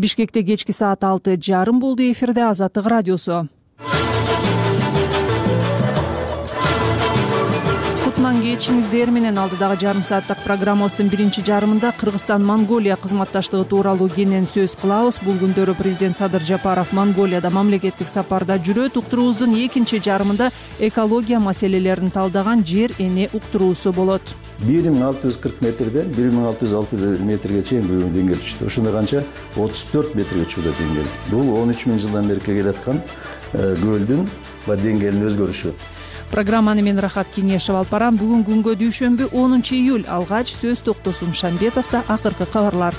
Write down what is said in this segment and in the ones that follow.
Бишкекте кечки саат 6:30 болду. Эфирде Азаттык радиосу. Кутман кечиңиздер менен алдыдагы жарым сааттык программабыздын биринчи жарымында Кыргызстан-Монголия кызматташтыгы тууралуу кенен сөз кылабыз. Бул күндөрү президент Садыр Жапаров Монголияда мамлекеттик сапарда жүрөт. Уктуруубуздун экинчи жарымында экология маселелерин талдаган жер эне уктуруусу болот. 1640 метрден 1606 метрге чейин бүгүн деңгээл түштү. Ошондо канча 34 метрге чыкты деңгээл. Бул 13 000 жылдан бери келаткан көлдүн деңгээлинин өзгөрүшү. Программаны мен Рахат Кеңешев алып барам. Бүгүн күнгө дүйшөмбү 10 июль. Алгач сөз Токтосун Шамбетовдо. Акыркы кабарлар.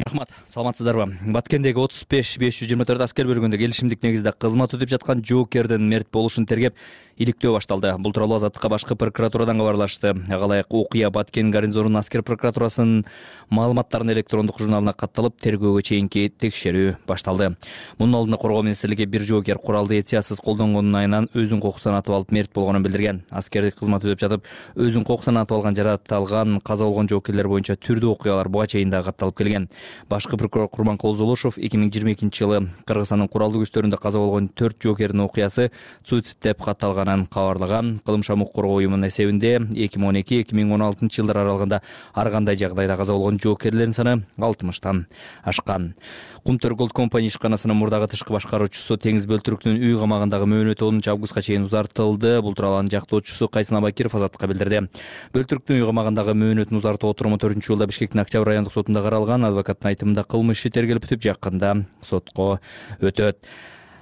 Рахмат, саламатсыздарбы? Баткендеги 35-524 аскер бөлүгүндө келишимдик негизде кызмат өтүп жаткан жоокердин мерт болушун тергеп иликтөө башталды. Бул тууралуу Азаттыкка башкы прокуратурадан кабарлашты. Ага ылайык окуя Баткен гарнизонунун аскер прокуратурасынын маалыматтарын электрондук журналына катталып, тергөөгө чейинки текшерүү башталды. Мунун алдында Коргоо министрлиги бир жоокер куралды этиятсыз колдонгонун айынан өзүн кокустан атып алып мерт болгонун билдирген. Аскердик кызмат өтүп жатып, өзүн кокустан атып алган, жараталган, каза болгон жоокерлер боюнча түрдүү окуялар буга чейин да катталып келген. Башкы прокурор Курманкул Золушев 2022 жылы Кыргызстандын куралдуу күчтөрүндө каза болгон 4 жоокердин окуясы суицид деп катталганын кабарлаган. Кылмыш укук коргоо уюмунун эсебинде 2012-2016 жылдар аралыгында ар кандай жагдайда каза болгон жоокерлердин саны 60тан ашкан. Кумтөр Gold Company ишканасынын мурдагы тышкы башкаруучусу Теңиз Бөлтүрүктүн үй камагындагы мөөнөтү 10 августка чейин узартылды. Бул тууралуу анын жактоочусу Кайсын Абакиров Азаттыкка билдирди. Бөлтүрүктүн үй камагындагы мөөнөтүн узартуу отуруму 4-жылда Бишкектин Октябрь райондук сотунда каралган. Адвокаттын айтымында кылмыш иши тергелип бүтүп, жакында сотко өтөт.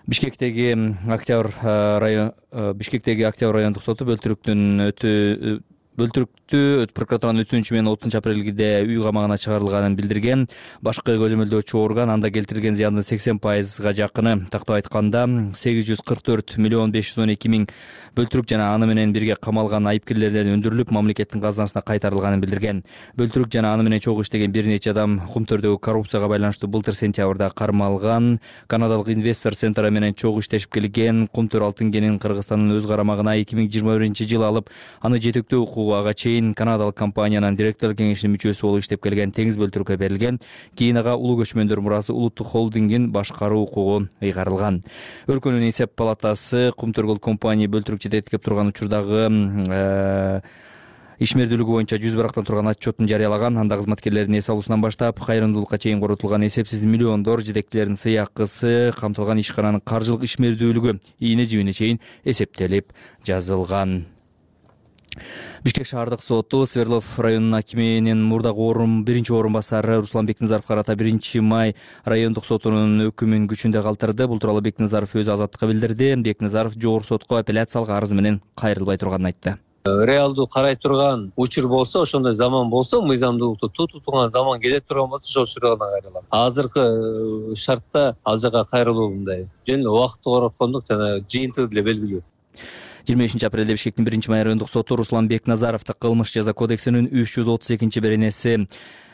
Бишкектеги Октябрь райондук соту Бөлтүрүктү прокуратуранын өтүнүчү менен 30 апрелде үй камагына чыгарылганын билдирген. Башкы көзөмөлдөөчү орган анда келтирген зыяндын 80%га жакыны, тактап айтканда 844 миллион 512 миң Бөлтүрүк жана аны менен бирге камалган айыпкерлерден өндүрүлүп, мамлекеттин казынасына кайтарылганын билдирген. Бөлтүрүк жана аны менен чогуу иштеген бир нече адам Кумтөрдөгү коррупцияга байланыштуу былтыр сентябрда кармалган. Канадалык инвестор Центра менен чогуу иштешип келген. Кумтөр алтын кенин Кыргызстандын өз карамагына 2021 алып, аны жетектөө укугу ага чейин канадалык компаниянын директор кеңешинин мүчөсү болуп иштеп келген Теңиз Бөлтүрүккө берилген. Кийин ага Улуу көчмөндөр мурасы улуттук холдингин башкаруу укугу ыйгарылган. Өлкөнүн эсеп палатасы Кумтөр Gold Company Бөлтүрүк жетектеп турган учурдагы ишмердүүлүгү боюнча 100 турган отчетун жарыялаган. Анда кызматкерлердин эс алуусунан баштап кайрымдуулукка чейин коротулган эсепсиз миллиондор, жетектилердин сыйакысы, камтылган ишкананын каржылык ишмердүүлүгү ийне жибине чейин эсептелип жазылган. Бишкек шаардык соту Свердлов районунун акиминин мурдагы биринчи орун басары Руслан Бекназаров карата 1 май райондук сотунун өкүмүн күчүндө калтырды. Бул тууралуу Бекназаров өзү Азаттыкка билдирди. Бекназаров жогорку сотко апелляциялык арыз менен кайрылбай турганын айтты. Реалдуу карай турган учур болсо, ошондой заман болсо, мыйзамдуулукту тутуу турган заман келе турган болсо, ошол учурдан кайрылам. Азыркы шартта ал жака кайрылуу мындай. Жөн убакытты короткондук жана жыйынтыгы деле белгилүү. 25 апрелде Бишкектин 1 май райондук соту Руслан Бекназаровду кылмыш жаза кодексинин 332-беренеси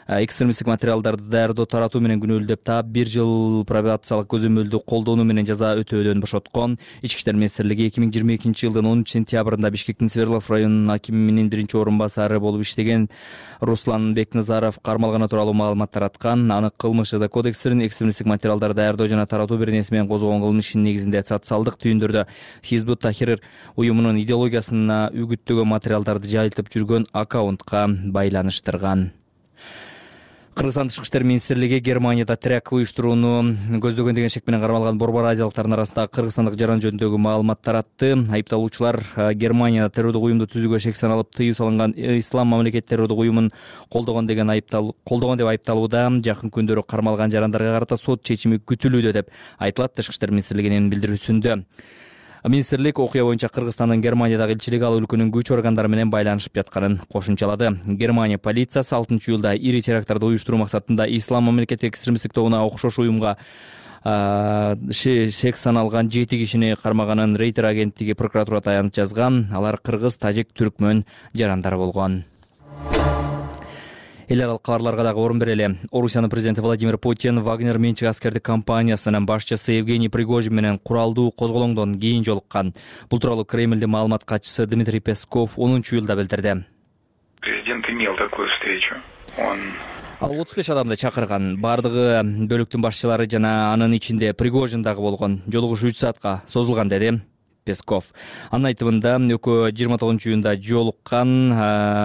экстремисттик материалдарды даярдоо, таратуу менен күнөөлөп таап 1 жыл пробациялык көзөмөлдү колдонуу менен жаза өтөөдөн бошоткон. Ички иштер министрлиги 2022 жылдын 10 сентябрында Бишкектин Свердлов районунун акиминин 1 орун басары болуп иштеген Руслан Бекназаров кармалганы тууралуу маалымат тараткан. Аны кылмыш жаза кодексинин экстремисттик материалдарды даярдоо жана таратуу беренеси менен козгогон кылмыш ишинин негизинде социалдык түйүндөрдө Хизбут Тахрир уюмунун идеологиясына үгүттөгөн материалдарды жайылтып жүргөн аккаунтка байланыштырган. Кыргызстан Тышкы иштер министрлиги Германияда теракт уюштурууну көздөгөн деген шек менен кармалган борбор азиялыктардын арасында кыргызстандык жаран жөнүндөгү маалымат таратты. Айыпталуучулар Германияда террордук уюмду түзүүгө шек саналып тыюу салынган Ислам мамлекет террордук уюмун колдогон деп айыпталууда. Жакын күндөрү кармалган жарандарга карата сот чечими күтүлүүдө деп айтылат Тышкы иштер министрлигинин билдирүүсүндө. Министрлик окуя боюнча Кыргызстандын Германиядагы элчилиги ал өлкөнүн күч органдары менен байланышып жатканын кошумчалады. Германия полициясы 6-июлда ири теракттарды уюштуруу максатында Ислам мамлекет экстремисттик тобуна окшош уюмга шек саналган 7 кишини кармаганын Рейтер агенттиги прокуратурага таянып жазган. Алар кыргыз, тажик, түркмөн жарандар болгон. Эл аралык кабарларга дагы орун берели. Орусиянын президенти Владимир Путин Вагнер менчик аскердик компаниясынын башчысы Евгений Пригожин менен куралдуу козголоңдон кийин жолуккан. Бул тууралуу Кремлдин маалымат катчысы Дмитрий Песков 10-июлда билдирди. Президент имел такую встречу. Ал 35 адамды чакырган. Бардыгы бөлүктүн башчылары жана анын ичинде Пригожин дагы болгон. Жолугуш 3 саатка созулган деди Песков. Анын айтымында экөө 29-июнда жолуккан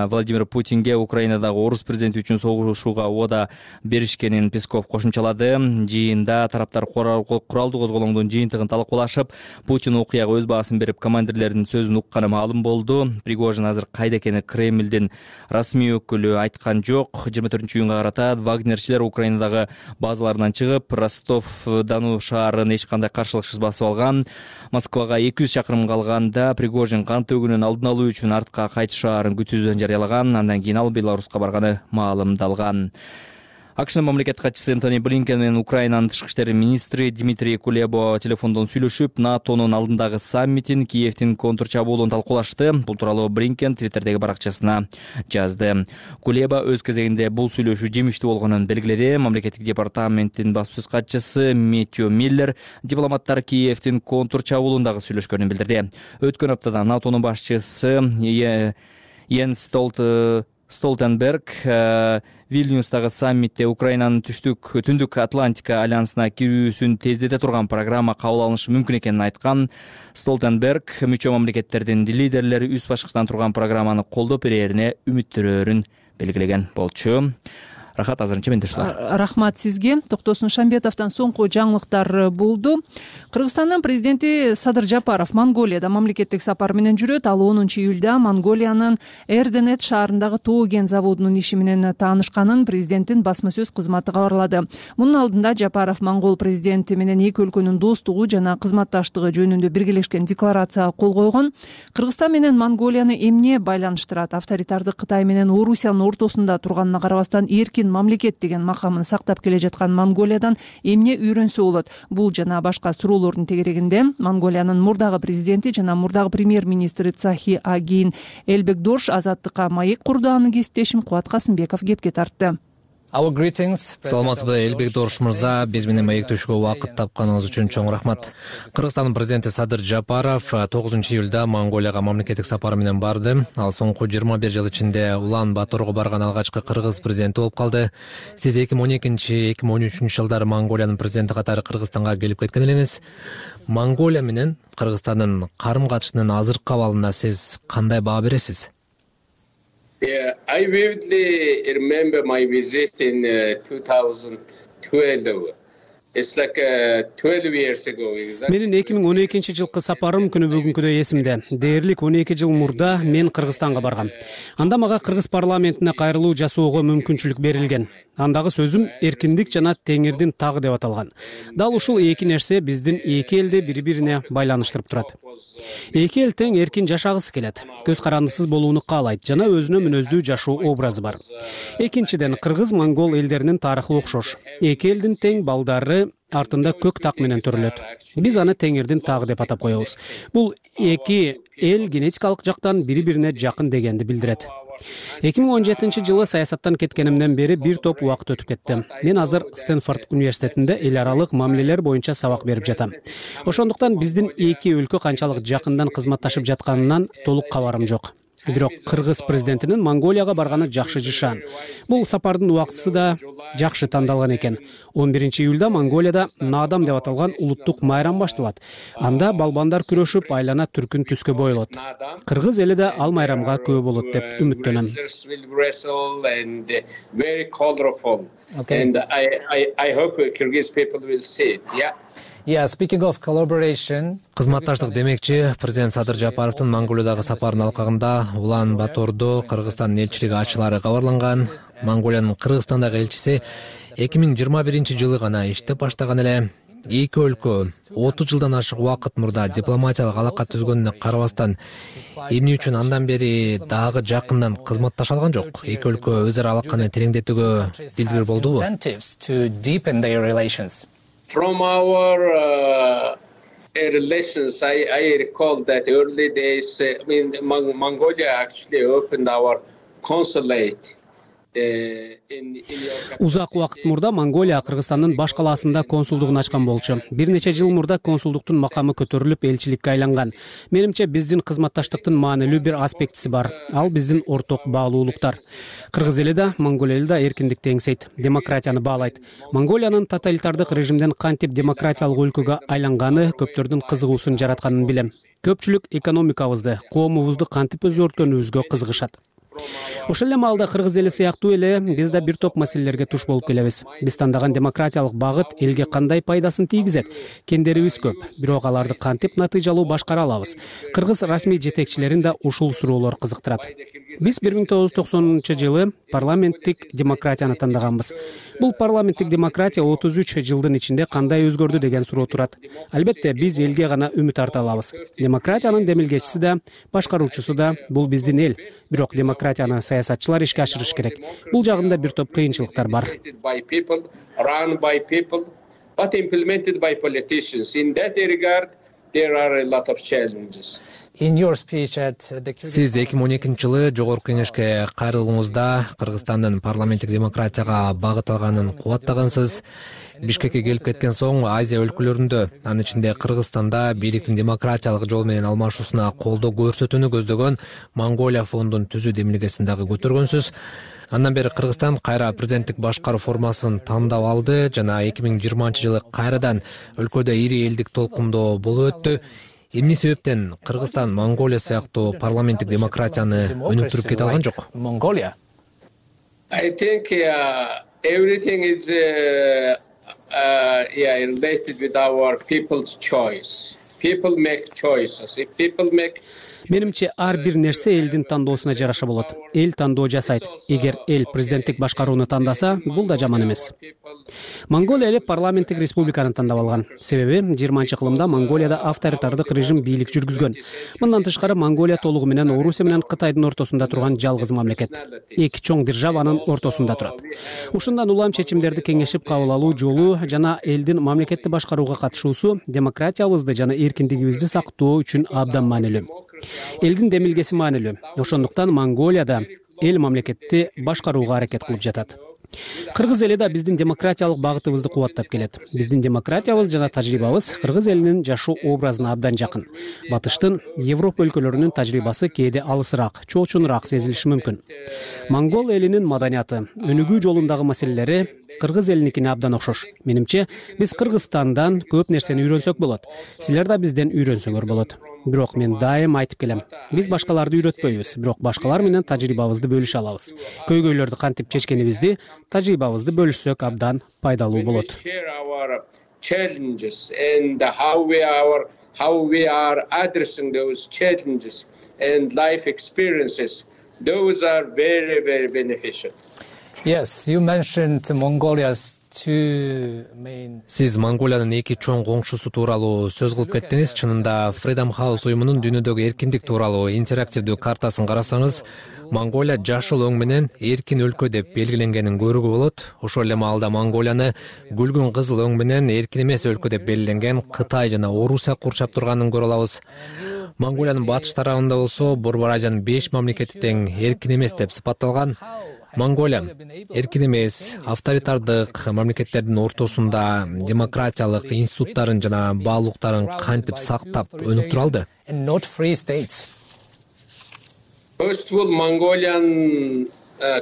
Владимир Путинге Украинадагы орус президенти үчүн согушууга убада беришкенин Песков кошумчалады. Жыйында тараптар куралдуу козголоңдун жыйынтыгын талкуулашып, Путин окуяга өз баасын берип, командирлердин сөзүн укканы маалым болду. Пригожин азыр кайда экени Кремлдин расмий өкүлү айткан жок. 24-июнга карата вагнерчилер Украинадагы базаларынан чыгып, Ростов-Дону шаарын эч кандай каршылыксыз басып алган. Москвага 200 чакырым калганда Пригожин кан төгүүнүн алдын алуу үчүн артка кайтыш шаарын күтүүсүн жарыялаган. Андан кийин ал Беларуска барганы маалымдалган. АКШнын мамлекеттик катчысы Энтони Блинкен менен Украинанын тышкы иштер министри Дмитрий Кулеба телефондон сүйлөшүп, НАТОнун алдындагы саммитин, Киевдин контур чабуулун талкуулашты. Бул тууралуу Блинкен Твиттердеги баракчасына жазды. Кулеба өз кезегинде бул сүйлөшүү жемиштүү болгонун белгиледи. Мамлекеттик департаменттин баспасөз катчысы Мэттью Миллер дипломаттар Киевдин контур чабуулундагы сүйлөшкөнүн билдирди. Өткөн аптада НАТОнун башчысы Йенс Столтенберг Вильнюстагы саммитте Украинанын түндүк Атлантика альянсына кирүүсүн тездете турган программа кабыл алынышы мүмкүн экенин айткан. Столтенберг мүчө мамлекеттердин лидерлери үз башкычтан турган программаны колдоп берерине үмүттөрүн белгилеген болчу. Рахат, азырынча менде ушулар. Рахмат сизге. Токтосун Шамбетовдон соңку жаңылыктар болду. Кыргызстандын президенти Садыр Жапаров Монголияда мамлекеттик сапар менен жүрөт. Ал 10-июлда Монголиянын Эрденет шаарындагы тоо кен заводунун иши менен таанышканын президенттин басма сөз кызматы кабарлады. Мунун алдында Жапаров монгол президенти менен эки өлкөнүн достугу жана кызматташтыгы жөнүндө биргелешкен декларацияга кол койгон. Кыргызстан менен Монголияны эмне байланыштырат? Авторитардык Кытай менен Орусиянын ортосунда турганына карабастан эркин мамлекет деген макамын сактап келе жаткан Монголиядан эмне үйрөнсө болот? Бул жана башка суроолордун тегерегинде Монголиянын мурдагы президенти жана мурдагы премьер-министри Цахи Агин Элбекдорш Азаттыкка маек курду. Анын кесиптешим Кубат Касымбеков кепке тартты. Саламатсызбы, Элбекдорш мырза, биз менен маектешүүгө убакыт тапканыңыз үчүн чоң рахмат. Кыргызстандын президенти Садыр Жапаров 9-июлда Монголияга мамлекеттик сапары менен барды. Ал соңку 21 жыл ичинде Улан-Баторго барган алгачкы кыргыз президенти болуп калды. Сиз 2012-2013 жылдары Монголиянын президенти катары Кыргызстанга келип кеткен элеңиз. Монголия менен Кыргызстандын карым-катышынын азыркы абалына сиз кандай баа бересиз? I vividly remember my visit in 2012. It's like 12 years ago. Менин 2012 жылкы сапарым күнү бүгүнкүдөй эсимде. Дээрлик 12 жыл мурда мен Кыргызстанга баргам. Анда мага Кыргыз парламентине кайрылуу жасоого мүмкүнчүлүк берилген. Андагы сөзүм эркиндик жана теңирдин тагы деп аталган. Дал ушул эки нерсе биздин эки элди бири-бирине байланыштырып турат. Эки эл тең эркин жашагысы келет. Көз карандысыз болууну каалайт жана өзүнө мүнөздүү жашоо образы бар. Экинчиден, кыргыз-монгол элдеринин тарыхы окшош. Эки элдин тең балдары артында көк так менен төрөлөт. Биз аны теңирдин тагы деп атап коебуз. Бул эки эл генетикалык жактан бири-бирине жакын дегенди билдирет. 2017 жылы саясаттан кеткенимден бери бир топ убакыт өтүп кетти. Мен азыр Стэнфорд университетинде эл аралык мамилелер боюнча сабак берип жатам. Ошондуктан биздин эки өлкө канчалык жакындан кызматташып жатканынан толук кабарым жок. Бирок кыргыз президентинин Монголияга барганы жакшы жышан. Бул сапардын убактысы да жакшы тандалган экен. 11-июлда Монголияда Наадам деп аталган улуттук майрам башталат. Анда балбандар күрөшүп, айлана түркүн түскө бойлот. Кыргыз эли да ал майрамга күбө болот деп үмүттөнөм. And I hope Kyrgyz people will see it. Yeah. Speaking of collaboration, кызматташтык демекчи, президент Садыр Жапаровдун Монголиядагы сапарынын алкагында Улан-Батордо Кыргызстандын элчилиги ачылары кабарланган. Монголиянын Кыргызстандагы элчиси 2021 жылы гана иштеп баштаган эле. Эки өлкө 30 жылдан ашык убакыт мурда дипломатиялык алака түзгөнүнө карабастан, эмне үчүн андан бери дагы жакындан кызматташа алган жок? Эки өлкө өз ара алаканы тереңдетүүгө дилгир болдубу? From our relations, I recall that early days, Mongolia actually opened our consulate. Узак убакыт мурда Монголия Кыргызстандын баш калаасында консулдугун ачкан болчу. Бир нече жыл мурда консулдуктун макамы көтөрүлүп элчиликке айланган. Менимче биздин кызматташтыктын маанилүү бир аспектиси бар. Ал биздин орток баалуулуктар. Кыргыз эли да, Монголия эли да эркиндикти эңсейт, демократияны баалайт. Монголиянын тоталитардык режимден кантип демократиялык өлкөгө айланганы көптөрдүн кызыгуусун жаратканын билем. Көпчүлүк экономикабызды, коомубузду кантип өзгөрткөнүбүзгө кызыгышат. Ошол эле маалда кыргыз эли сыяктуу эле биз да бир топ маселелерге туш болуп келебиз. Биз тандаган демократиялык багыт элге кандай пайдасын тийгизет? Кендерибиз көп, бирок аларды кантип натыйжалуу башкара алабыз? Кыргыз расмий жетекчилерин да ушул суроолор кызыктырат. Биз 1990-жылы парламенттик демократияны тандаганбыз. Бул парламенттик демократия 33 жылдын ичинде кандай өзгөрдү деген суроо турат. Албетте, биз элге гана үмүт арта алабыз. Демократиянын демилгечиси да, башкаруучусу да бул биздин эл. Бирок демократияны саясатчылар ишке ашырыш керек. Бул жагында бир топ кыйынчылыктар бар. Сиз 2012-жылы Жогорку Кеңешке кайрылууңузда Кыргызстандын парламенттик демократияга багыт алганын кубаттагансыз. Бишкекке келип кеткен соң Азия өлкөлөрүндө, анын ичинде Кыргызстанда бийликтин демократиялык жол менен алмашуусуна колдоо көрсөтүүнү көздөгөн Монголия фондун түзүү демилгесин дагы көтөргөнсүз. Андан бери Кыргызстан кайра президенттик башкаруу формасын тандап алды жана 2020-жылы кайрадан өлкөдө ири элдик толкундоо болуп өттү. Эмне себептен Кыргызстан Монголия сыяктуу парламенттик демократияны өнүктүрүп кете алган жок? I think everything is related with our people's choice. People make choices. If people make Менимче ар бир нерсе элдин тандоосуна жараша болот. Эл тандоо жасайт. Эгер эл президенттик башкарууну тандаса, бул да жаман эмес. Монголия эли парламенттик республиканы тандап алган. Себеби 20-кылымда Монголияда авторитардык режим бийлик жүргүзгөн. Мындан тышкары Монголия толугу менен Орусия менен Кытайдын ортосунда турган жалгыз мамлекет. Эки чоң державанын ортосунда турат. Ушундан улам чечимдерди кеңешип кабыл алуу жолу жана элдин мамлекетти башкарууга катышуусу демократиябызды жана эркиндигибизди сактоо үчүн абдан маанилүү. Элдин демилгеси маанилүү. Ошондуктан Монголияда эл мамлекетти башкарууга аракет кылып жатат. Кыргыз эли да биздин демократиялык багытыбызды кубаттап келет. Биздин демократиябыз жана тажрыйбабыз кыргыз элинин жашоо образына абдан жакын. Батыштын, Европа өлкөлөрүнүн тажрыйбасы кээде алысыраак, чоочунураак сезилиши мүмкүн. Монгол элинин маданияты, өнүгүү жолундагы маселелери кыргыз элиникине абдан окшош. Менимче, биз Кыргызстандан көп нерсени үйрөнсөк болот. Силер да бизден үйрөнсөңөр болот. Бирок мен дайым айтып келем. Биз башкаларды үйрөтпөйбүз, бирок башкалар менен тажрыйбабызды бөлүшө алабыз. Көйгөйлөрдү кантип чечкенибизди, тажрыйбабызды бөлүшсөк абдан пайдалуу болот. How we are addressing those challenges and life experiences, those are very, very beneficial. Yes, you mentioned Mongolia's Сиз Монголиянын эки чоң коңшусу тууралуу сөз кылып кеттиңиз. Чынында Freedom House уюмунун дүйнөдөгү эркиндик тууралуу интерактивдүү картасын карасаңыз, Монголия жашыл өң менен эркин өлкө деп белгиленгенин көрүүгө болот. Ошол эле маалда Монголияны гүлгүн кызыл өң менен эркин эмес өлкө деп белгиленген Кытай жана Орусия курчап турганын көрө алабыз. Монголиянын батыш тарабында болсо Борбор Азиянын 5 мамлекети тең эркин эмес деп сыпатталган. Монголия эркин эмес, авторитардык мамлекеттердин ортосунда демократиялык институттарын жана баалуулуктарын кантип сактап өнүктүрө алды? First of all, Mongolian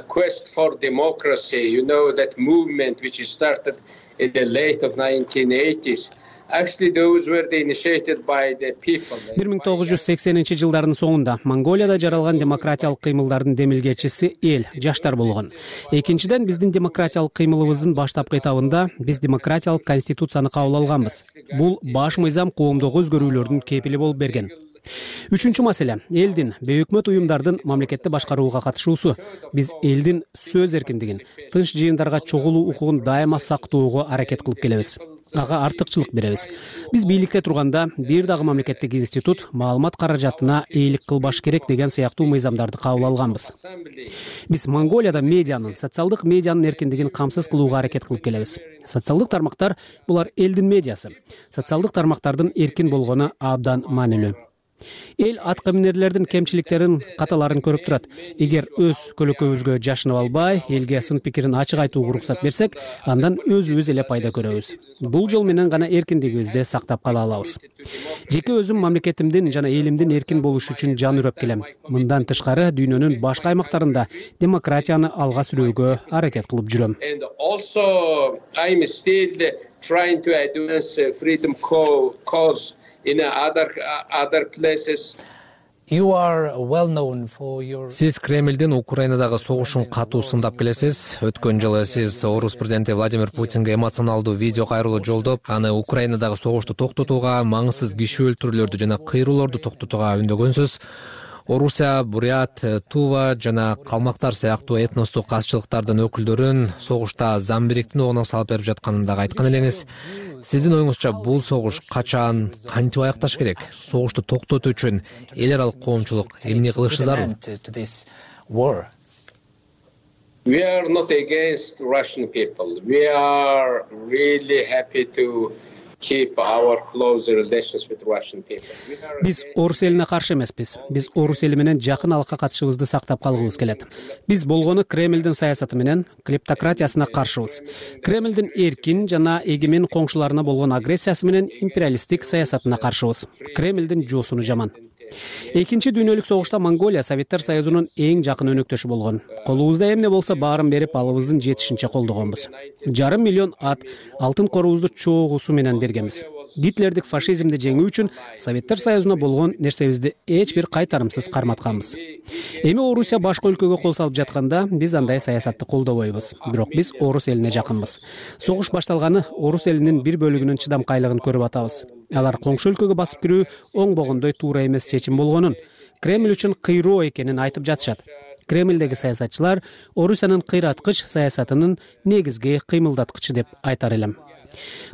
quest for democracy, you know, that movement which started in the late of 1980s. Actually, those were initiated by the people. 1980-жылдардын соңунда Монголияда жаралган демократиялык кыймылдардын демилгечиси эл, жаштар болгон. Экинчиден, биздин демократиялык кыймылыбыздын баштапкы этабында биз демократиялык конституцияны кабыл алганбыз. Бул баш мыйзам коомдогу өзгөрүүлөрдүн кепили болуп берген. Үчүнчү маселе — элдин, бейөкмөт уюмдардын мамлекетти башкарууга катышуусу. Биз элдин сөз эркиндигин, тынч жыйындарга чогулуу укугун дайыма сактоого аракет кылып келебиз. Ага артыкчылык беребиз. Биз бийликте турганда бир дагы мамлекеттик институт маалымат каражатына ээлик кылбаш керек деген сыяктуу мыйзамдарды кабыл алганбыз. Биз Монголияда медианын, социалдык медианын эркиндигин камсыз кылууга аракет кылып келебиз. Социалдык тармактар — булар элдин медиасы. Социалдык тармактардын эркин болгону абдан маанилүү. Эл атка минерлердин кемчиликтерин, каталарын көрүп турат. Эгер өз көлөкөбүзгө жашынып албай, элге сын пикирин ачык айтууга уруксат берсек, андан өзүбүз эле пайда көрөбүз. Бул жол менен гана эркиндигибизди сактап кала алабыз. Жеке өзүм мамлекетимдин жана элимдин эркин болушу үчүн жан үрөп келем. Мындан тышкары дүйнөнүн башка аймактарында демократияны алга сүрүүгө аракет кылып жүрөм. Trying to advance freedom cause in other places. You are well known for your. Сиз Кремлдин Украинадагы согушун катуу сындап келесиз. Өткөн жылы сиз Орус президенти Владимир Путинге эмоционалдуу видео кайрылуу жолдоп, аны Украинадагы согушту токтотууга, маңызсыз киши өлтүрүүлөрдү жана кыйроолорду токтотууга үндөгөнсүз. Орусия, Бурят, Тува жана калмактар сыяктуу этностук казчылыктардын өкүлдөрүн согушта Замбириктин огуна салып берип жатканын дагы айткан элеңиз. Сиздин оюңузча бул согуш качан, кантип аякташ керек? Согушту токтотуу үчүн эл аралык коомчулук эмне кылышы зарыл? We are not against Russian people. We are really happy to keep our close relations with Russian people. Биз орус элине каршы эмеспиз. Биз орус эли менен жакын алакка катышыбызды сактап калгыбыз келет. Биз болгону Кремлдин саясаты менен клептократиясына каршыбыз. Кремлдин эркин жана эгемен коңшуларына болгон агрессиясы менен империалисттик саясатына каршыбыз. Кремлдин жоосуну жаман. Экинчи дүйнөлүк согушта Монголия Советтер Союзунун эң жакын өнөктөшү болгон. Колубузда эмне болсо баарын берип алыбыздын жетишинче колдогонбуз. 500 000 ат, алтын корубузду чогуусу менен бергенбиз. Гитлердик фашизмди жеңүү үчүн Советтер Союзуна болгон нерсебизди эч бир кайтарымсыз карматканбыз. Эми Орусия башка өлкөгө кол салып жатканда биз андай саясатты колдобойбуз. Бирок биз орус элине жакынбыз. Согуш башталганы орус элинин бир бөлүгүнүн чыдамкайлыгын көрүп атабыз. Алар коңшу өлкөгө басып кирүү оңбогондой туура эмес чечим болгонун, Кремль үчүн кыйроо экенин айтып жатышат. Кремлдеги саясатчылар Орусиянын кыйраткыч саясатынын негизги кыймылдаткычы деп айтар элем.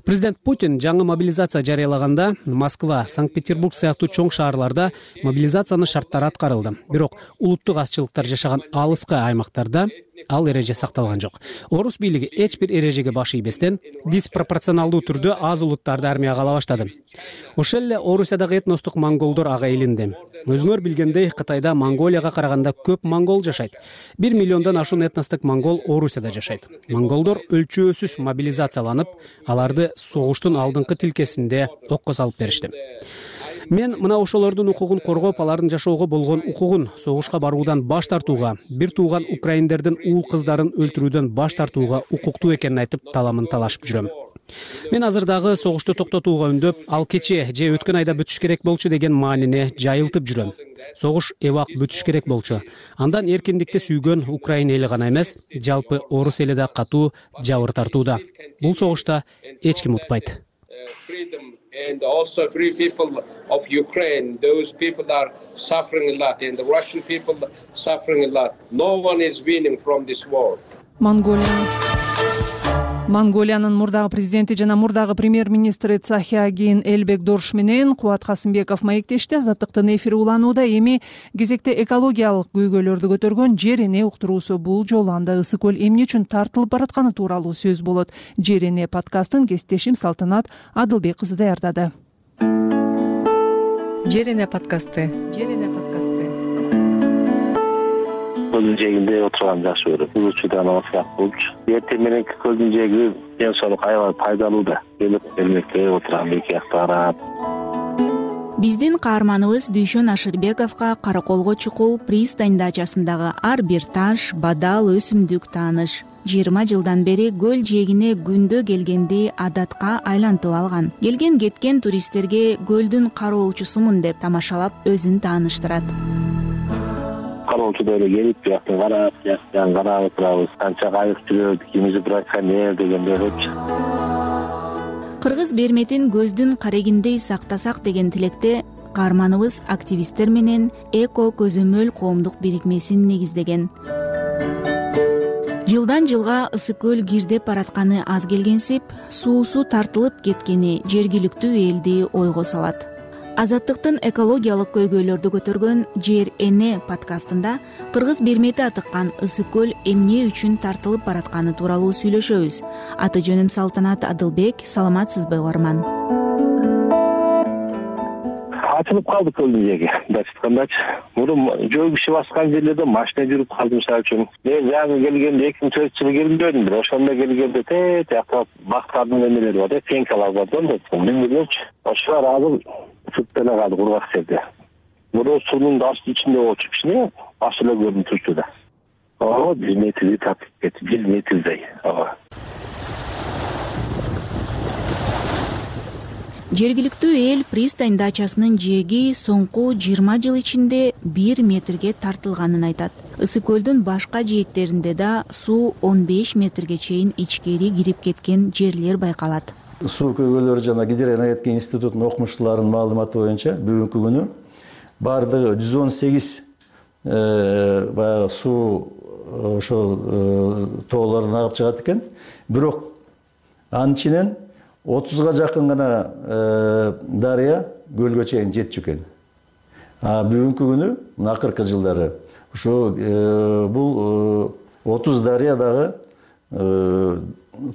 Президент Путин жаңы мобилизация жарыялаганда Москва, Санкт-Петербург сыяктуу чоң шаарларда мобилизациянын шарттары аткарылды. Бирок улуттук азчылыктар жашаган алыскы аймактарда ал эреже сакталган жок. Орус бийлиги эч бир эрежеге баш ийбестен диспропорционалдуу түрдө аз улуттарды армияга ала баштады. Ошол эле Орусиядагы этностук монголдор ага илинди. Өзүңөр билгендей, Кытайда Монголияга караганда көп монгол жашайт. 1 миллиондон ашуун этностук монгол Орусияда жашайт. Монголдор өлчөөсүз мобилизацияланып, аларды согуштун алдыңкы тилкесинде окко салып беришти. Мен мына ошолордун укугун коргоп, алардын жашоого болгон укугун согушка баруудан баш тартууга, бир тууган украиндердин уул кыздарын өлтүрүүдөн баш тартууга укуктуу экенин айтып таламын талашып жүрөм. Мен азыр дагы согушту токтотууга үндөп, ал кече же өткөн айда бүтүш керек болчу деген маанине жайылтып жүрөм. Согуш эбак бүтүш керек болчу. Андан эркиндикти сүйгөн Украина эли гана эмес, жалпы орус эли да катуу жабыр тартууда. Бул согушта эч ким утпайт. And also free people of Ukraine, those people are suffering a lot, and the Russian people suffering a lot. No one is winning from this war. Монголиянын мурдагы президенти жана мурдагы премьер-министри Цахиагин Элбекдорш менен Кубат Касымбеков маектешти. Азаттыктын эфири уланууда. Эми кезекте экологиялык көйгөйлөрдү көтөргөн жер эне уктуруусу бул жолу анда ысык көл эмне үчүн тартылып баратканы тууралуу сөз болот. Жер эне подкастын кесиптешим Салтанат Адылбек кызы даярдады. Жер эне подкасты. Көлдүн жээгинде отурган жакшы көрөм. Учудан алсак болчу. Эртең мененки көлдүн жээги ден соолук аябай пайдалуу да. Келип элмекте отурган эки жакта карап. Биздин каарманыбыз Дүйшөн Ашырбековго Караколго чукул пристань дачасындагы ар бир таш, бадал, өсүмдүк тааныш. 20 жылдан бери көл жээгине күндө келгенди адатка айлантып алган. Келген кеткен туристтерге көлдүн кароочусумун деп тамашалап өзүн тааныштырат. Кароочу эле келип, жактан карап, жактан карап отурабыз. Канча кайык жүрөт, кимиси браконьер дегендейчи. Кыргыз берметин көздүн карегиндей сактасак деген тилекте каарманыбыз активисттер менен Эко көзөмөл коомдук бирикмесин негиздеген. Жылдан жылга ысык көл кирдеп баратканы аз келгенсип, суусу тартылып кеткени жергиликтүү элди ойго салат. Азаттыктын экологиялык көйгөйлөрдү көтөргөн Жер эне подкастында Кыргыз бермети атыккан ысык көл эмне үчүн тартылып баратканы тууралуу сүйлөшөбүз. Аты жөнүм Салтанат Адылбек. Саламатсызбы угарман? ачылып калды көлдүн жээги. Мындайча айткандачы, мурун жөө киши баскан жерлерде машина жүрүп калды. Мисалы үчүн мен жаңы келгенде 2004-жылы келгенде ошондо келгенде тиякта бактардын эмелери бар, пенкалар бар да, билбеймчи. Ошолар азыр чыгып эле калды кургак жерде. Мурун суунун асты ичинде болчу кичине аш эле көрүнүп турчу да. 1 метрди тартып кетти, 1 метрдей. Жергиликтүү эл пристань дачасынын жээги соңку 20 жыл ичинде 1 метрге тартылганын айтат. Ысык көлдүн башка жээктеринде да суу 15 метрге чейин ичкери кирип кеткен жерлер байкалат. Суу көйгөйлөрү жана Гидроэнергетика институтунун окумуштууларынын маалыматы боюнча бүгүнкү күнү бардыгы 118 баягы суу ошол тоолордон агып чыгат экен. Бирок анын ичинен 30га жакын гана дарыя көлгө чейин жетчү экен. Бүгүнкү күнү акыркы жылдары ошо бул 30 дарыя дагы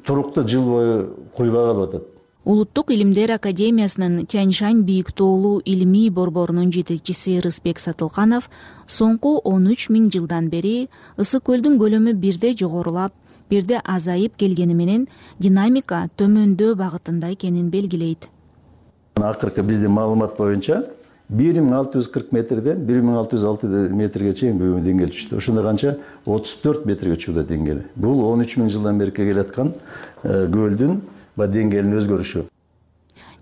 туруктуу жыл бою куйбай калып атат. Улуттук илимдер академиясынын Тяньшань бийик тоолуу илимий борборунун жетекчиси Рысбек Сатылканов соңку 13 000 жылдан бери ысык көлдүн көлөмү бирде жогорулап, бирде азайып келгени менен динамика төмөндөө багытында экенин белгилейт. Акыркы биздин маалымат боюнча 1640 метрден 1606 метрге чейин бүгүн деңгээл түштү. Ошондо канча 34 метрге чыкты деңгээли. Бул 13 000 жылдан бери келаткан көлдүн деңгээлинин өзгөрүшү.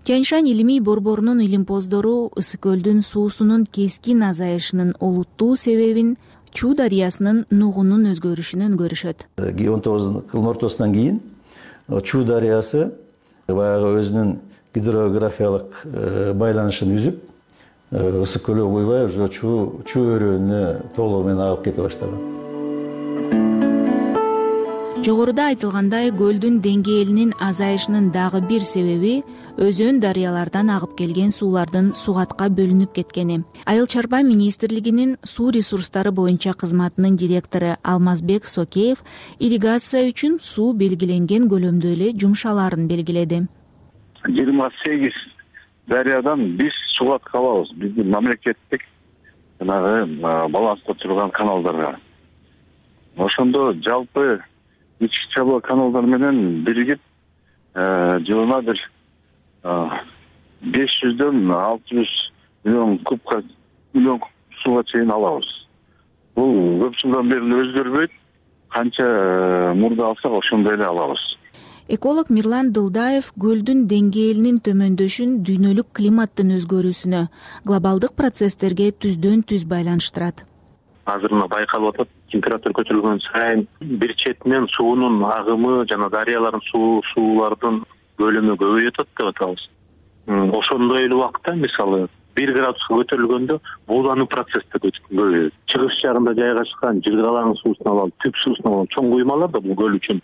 Тяньшань илимий борборунун илимпоздору ысык көлдүн суусунун кескин азайышынын олуттуу себебин Чуу дарыясынын нугунун өзгөрүшүнөн көрүшөт. 19-кылым ортосунан кийин Чуу дарыясы баягы өзүнүн гидрографиялык байланышын үзүп, ысык көлгө куйбай уже Чуу өрөөнүнө толугу менен агып кете баштаган. Жогоруда айтылгандай, көлдүн деңгээлинин азайышынын дагы бир себеби өзөн дарыялардан агып келген суулардын сугатка бөлүнүп кеткени. Айыл чарба министрлигинин суу ресурстары боюнча кызматынын директору Алмазбек Сокеев ирригация үчүн суу белгиленген көлөмдө эле жумшалаарын белгиледи. 28 дарыядан биз сугатка алабыз. Биздин мамлекеттик баланста турган каналдарга. Ошондо жалпы ички чабыла каналдар менен биригип жылына бир 500дөн 600 миллион кубка сууга чейин алабыз. Бул көп жылдан бери өзгөрбөйт. Канча мурда алсак ошондой эле алабыз. Эколог Мирлан Дылдаев көлдүн деңгээлинин төмөндөшүн дүйнөлүк климаттын өзгөрүүсүнө, глобалдык процесстерге түздөн түз байланыштырат. Азыр мына байкалып атат, температура көтөрүлгөн сайын бир четинен суунун агымы жана дарыялардын суулардын көлөмү көбөйүп атат деп атабыз. Ошондой эле убакта мисалы 1 градуска көтөрүлгөндө буулануу процесси көбөйөт. Чыгыш жагында жайгашкан жылгалаңын суусун алалы, түп суусун алалы чоң куймалар да бул көл үчүн.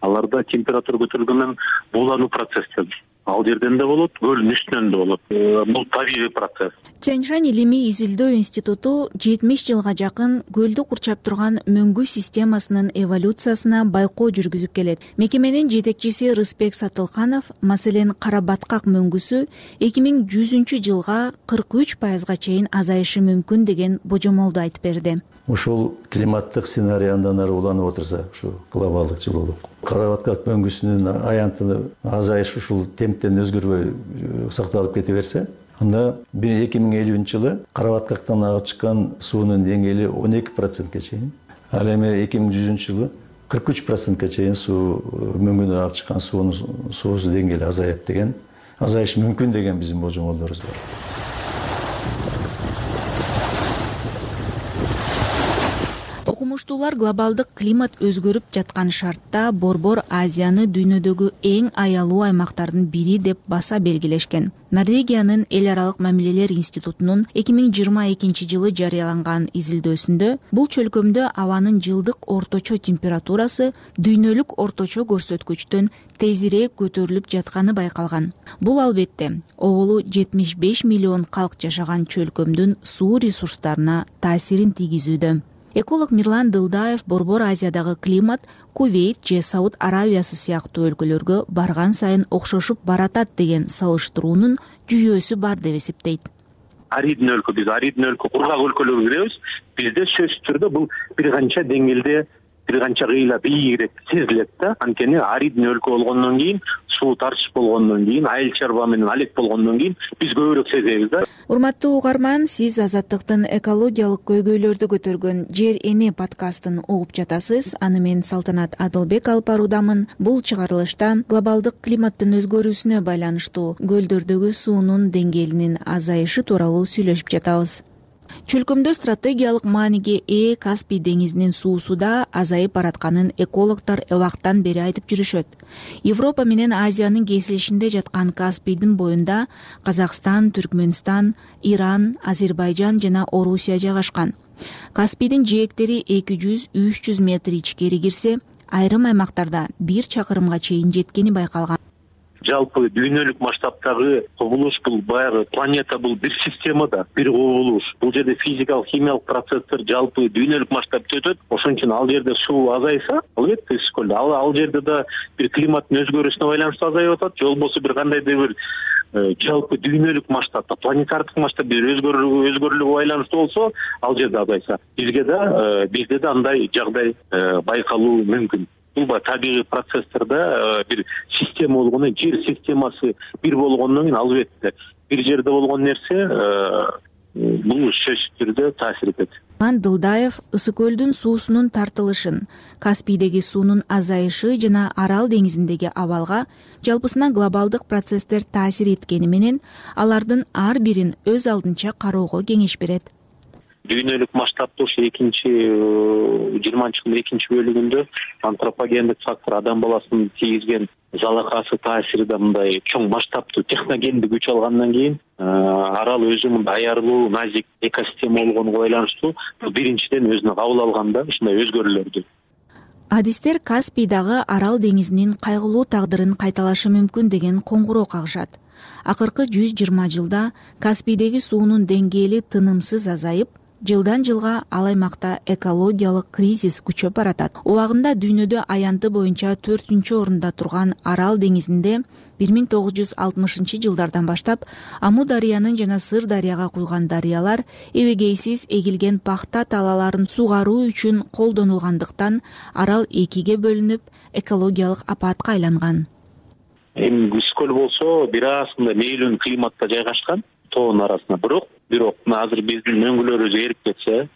Аларда температура көтөрүлгөндөн буулануу процесси ал жерден да болот, көлдүн үстүнөн да болот. Бул табигый процесс. Тяньшань илимий изилдөө институту 70 жылга жакын көлдү курчап турган мөңгү системасынын эволюциясына байкоо жүргүзүп келет. Мекеменин жетекчиси Рысбек Сатылканов, маселен, кара баткак мөңгүсү 2100-жылга 43%га чейин азайышы мүмкүн деген божомолду айтып берди. Ушул климаттык сценарий андан ары уланып отурса, ушу глобалдык жылуулук. Кара баткак мөңгүсүнүн аянтыны азайышы ушул темптен өзгөрбөй сакталып кете берсе, анда 2050-жылы кара баткактан агып чыккан суунун деңгээли 12%ке чейин, ал эми 2100-жылы 43%ке чейин суу мөңгүнөн агып чыккан суусу деңгээли азаят деген, азайышы мүмкүн деген биздин божомолдорубуз бар. Окумуштуулар глобалдык климат өзгөрүп жаткан шартта Борбор Азияны дүйнөдөгү эң аялуу аймактардын бири деп баса белгилешкен. Норвегиянын эл аралык мамилелер институтунун 2022-жылы жарыяланган изилдөөсүндө бул чөлкөмдө абанын жылдык орточо температурасы дүйнөлүк орточо көрсөткүчтөн тезирээк көтөрүлүп жатканы байкалган. Бул албетте оболу 75 миллион калк жашаган чөлкөмдүн суу ресурстарына таасирин тийгизүүдө. Эколог Мирлан Дылдаев Борбор Азиядагы климат Кувейт же Сауд Аравиясы сыяктуу өлкөлөргө барган сайын окшошуп баратат деген салыштыруунун жүйөөсү бар деп эсептейт. аридный өлкө, биз аридный өлкө, кургак өлкөлөргө киребиз. Бизде сөзсүз түрдө бул бир канча деңгээлде, бир канча кыйла бийигирээк сезилет да. Анткени аридный өлкө болгондон кийин, суу тартыш болгондон кийин, айыл чарба менен алек болгондон кийин биз көбүрөөк сезебиз да. Урматтуу угарман, сиз Азаттыктын экологиялык көйгөйлөрдү көтөргөн Жер эне подкастын угуп жатасыз. Аны мен Салтанат Адылбек алып баруудамын. Бул чыгарылышта глобалдык климаттын өзгөрүүсүнө байланыштуу көлдөрдөгү суунун деңгээлинин азайышы тууралуу сүйлөшүп жатабыз. Чөлкөмдө стратегиялык мааниге ээ Каспий деңизинин суусу да азайып баратканын экологдор убактан бери айтып жүрүшөт. Европа менен Азиянын кесилишинде жаткан Каспийдин боюнда Казакстан, Түркмөнстан, Иран, Азербайжан жана Орусия жайгашкан. Каспийдин жээктери 200-300 метр ичкери кирсе, айрым аймактарда 1 чакырымга чейин жеткени байкалган. Жалпы дүйнөлүк масштабтагы кубулуш бул баягы планета, бул бир система да, бир кубулуш. Бул жерде физикалык, химиялык процесстер жалпы дүйнөлүк масштабта өтөт. Ошон үчүн ал жерде суу азайса, албетте Ысык ал жерде да бир климаттын өзгөрүүсүнө байланыштуу азайып атат. Же болбосо бир кандайдыр бир жалпы дүйнөлүк масштабта, планетардык масштабта бир өзгөрүүлүгү байланыштуу болсо, ал жерде азайса, бизде да андай жагдай байкалуу мүмкүн. Бул табигый процесстерде бир система болгондон, жер системасы бир болгондон кийин албетте бир жерде болгон нерсе бул сөзсүз түрдө таасир этет. Дылдаев Ысык көлдүн суусунун тартылышын, Каспийдеги суунун азайышы жана Арал деңизиндеги абалга жалпысынан глобалдык процесстер таасир эткени менен алардын ар бирин өз алдынча кароого кеңеш берет. Дүйнөлүк масштабта ушу 20-жылдын экинчи бөлүгүндө антропогендик фактор, адам баласынын тийгизген залакасы таасириде мындай чоң масштабтуу техногендик күч алгандан кийин арал өзү мындай аярлуу, назик экосистема болгонуна байланыштуу биринчиден өзүнө кабыл алганда ушундай өзгөрүүлөрдү. Адистер Каспийдагы Арал деңизинин кайгылуу тагдырын кайталашы мүмкүн деген коңгуроо кагышат. Акыркы 120 жылда Каспийдеги суунун деңгээли тынымсыз азайып, жылдан жылга ал аймакта экологиялык кризис күчөп баратат. Убагында дүйнөдө аянты боюнча 4-орунда турган Арал деңизинде 1960-жылдардан баштап Аму дарыянын жана Сыр дарыяга куйган дарыялар эбегейсиз эгилген пахта талаларын сугаруу үчүн колдонулгандыктан Арал экиге бөлүнүп, экологиялык апатка айланган. Эми Ысык болсо бир асында мейлион климатта жайгашкан, тоонун арасында. Бирок азыр биздин өңгөлөрүбүз эрип кетсе,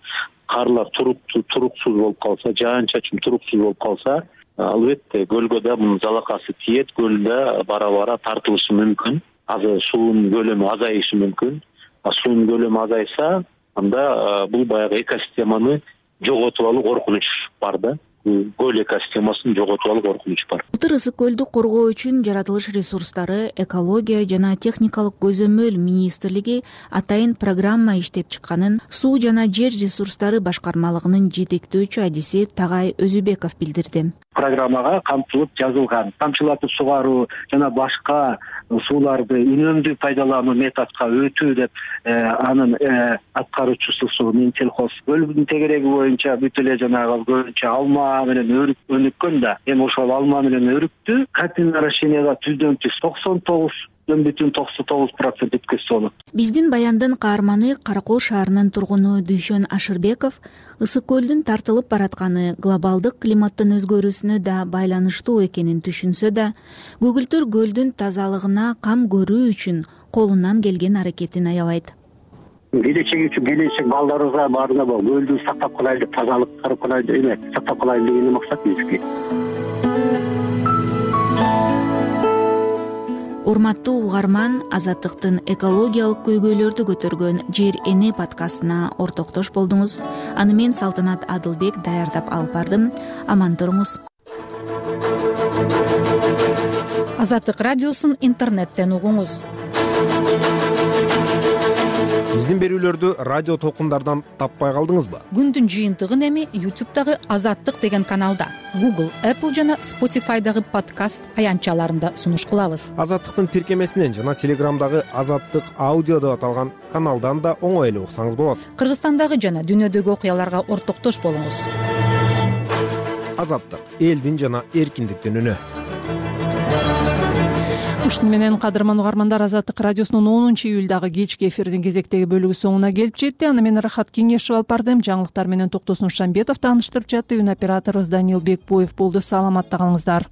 карлар туруксуз болуп калса, жаан-чачын туруксуз болуп калса, албетте көлгө да мунун залакасы тиет, көлдө бара-бара тартылышы мүмкүн. Суунун көлөмү азайышы мүмкүн. Суунун көлөмү азайса, анда бул баягы экосистеманы жоготуп алуу коркунуч бар да. Көл экосистемасын жоготуп алуу коркунуч бар. Былтыр Ысык көлдү коргоо үчүн жаратылыш ресурстары, экология жана техникалык көзөмөл министрлиги атайын программа иштеп чыкканын Суу жана жер ресурстары башкармалыгынын жетектөөчү адиси Тагай Өзүбеков билдирди. Программага камтылып жазылган тамчылатып сугаруу жана башка сууларды үнөмдүү пайдалануу методко өтүү деп анын аткаруучусу Минсельхоз көлдүн тегереги боюнча бүт эле жанагы көбүнчө алма менен өнүккөн да. Эми ошол алма менен өрүктү картинарашенияга түздөн түз 99,99% өткөзсө болот. Биздин баяндын каарманы Каракол шаарынын тургуну Дүйшөн Ашырбеков Ысык көлдүн тартылып баратканы глобалдык климаттын өзгөрүүсүнө да байланыштуу экенин түшүнсө да, көгүлтөр көлдүн тазалыгына кам көрүү үчүн колунан келген аракетин аябайт. Келечек үчүн келечек балдарыбызга баарына көлдү сактап калайлы, тазалык карап калайлы, сактап калайлы деген максат биздики. Урматтуу угарман, Азаттыктын экологиялык көйгөйлөрдү көтөргөн Жер эне подкастына ортоктош болдуңуз. Аны мен Салтанат Адылбек даярдап алып бардым. Аман туруңуз. Азаттык радиосун интернеттен угуңуз. Биздин берүүлөрдү радио толкундардан таппай калдыңызбы? Күндүн жыйынтыгын эми YouTube'дагы Азаттык деген каналда, Google, Apple жана Spotify'дагы подкаст аянтчаларында сунуш кылабыз. Азаттыктын тиркемесинен жана Telegram'дагы Азаттык аудио деп аталган каналдан да оңой эле уксаңыз болот. Кыргызстандагы жана дүйнөдөгү окуяларга ортоктош болуңуз. Азаттык, элдин жана эркиндиктин үнү. ушуну менен кадырман угармандар, Азаттык радиосунун 10-июлдагы кечки эфирдин кезектеги бөлүгү соңуна келип жетти. Аны мен Рахат Кеңешов алып бардым. Жаңылыктар менен Токтосун Шамбетов тааныштырып жатты. Үн операторубуз Даниил Бекбоев болду. Саламатта калыңыздар.